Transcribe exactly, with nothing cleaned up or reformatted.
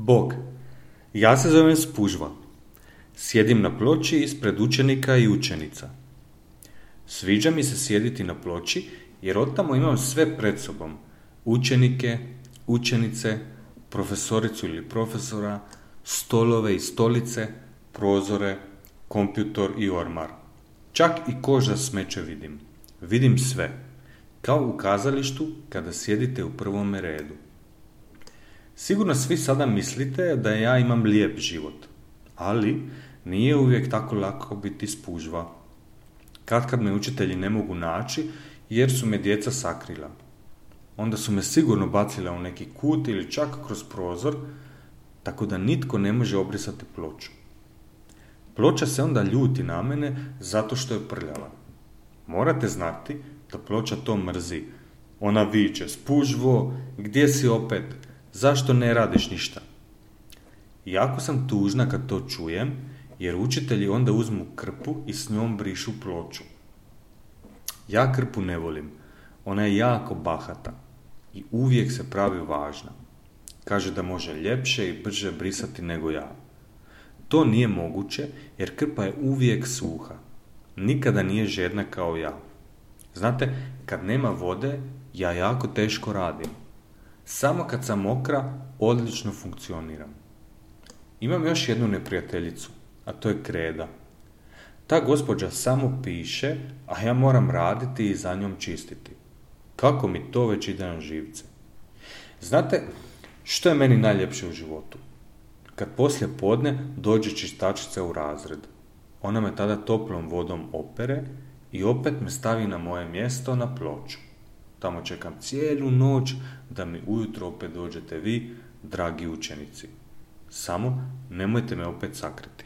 Bog, ja se zovem Spužva. Sjedim na ploči ispred učenika i učenica. Sviđa mi se sjediti na ploči jer otamo imam sve pred sobom. Učenike, učenice, profesoricu ili profesora, stolove i stolice, prozore, kompjutor i ormar. Čak i koš za smeće vidim. Vidim sve. Kao u kazalištu kada sjedite u prvome redu. Sigurno svi sada mislite da ja imam lijep život, ali nije uvijek tako lako biti spužva. Katkad me učitelji ne mogu naći jer su me djeca sakrila. Onda su me sigurno bacila u neki kut ili čak kroz prozor, tako da nitko ne može obrisati ploču. Ploča se onda ljuti na mene zato što je prljava. Morate znati da ploča to mrzi. Ona viče: Spužvo, gdje si opet? Zašto ne radiš ništa? Jako sam tužna kad to čujem, jer učitelji onda uzmu krpu i s njom brišu ploču. Ja krpu ne volim. Ona je jako bahata i uvijek se pravi važna. Kaže da može ljepše i brže brisati nego ja. To nije moguće jer krpa je uvijek suha. Nikada nije žedna kao ja. Znate, kad nema vode, ja jako teško radim. Samo kad sam mokra, odlično funkcioniram. Imam još jednu neprijateljicu, a to je kreda. Ta gospođa samo piše, a ja moram raditi i za njom čistiti. Kako mi to već ide na živce. Znate, što je meni najljepše u životu? Kad poslije podne dođe čistačica u razred. Ona me tada toplom vodom opere i opet me stavi na moje mjesto na ploču. Tamo čekam cijelu noć da mi ujutro opet dođete vi, dragi učenici. Samo nemojte me opet sakriti.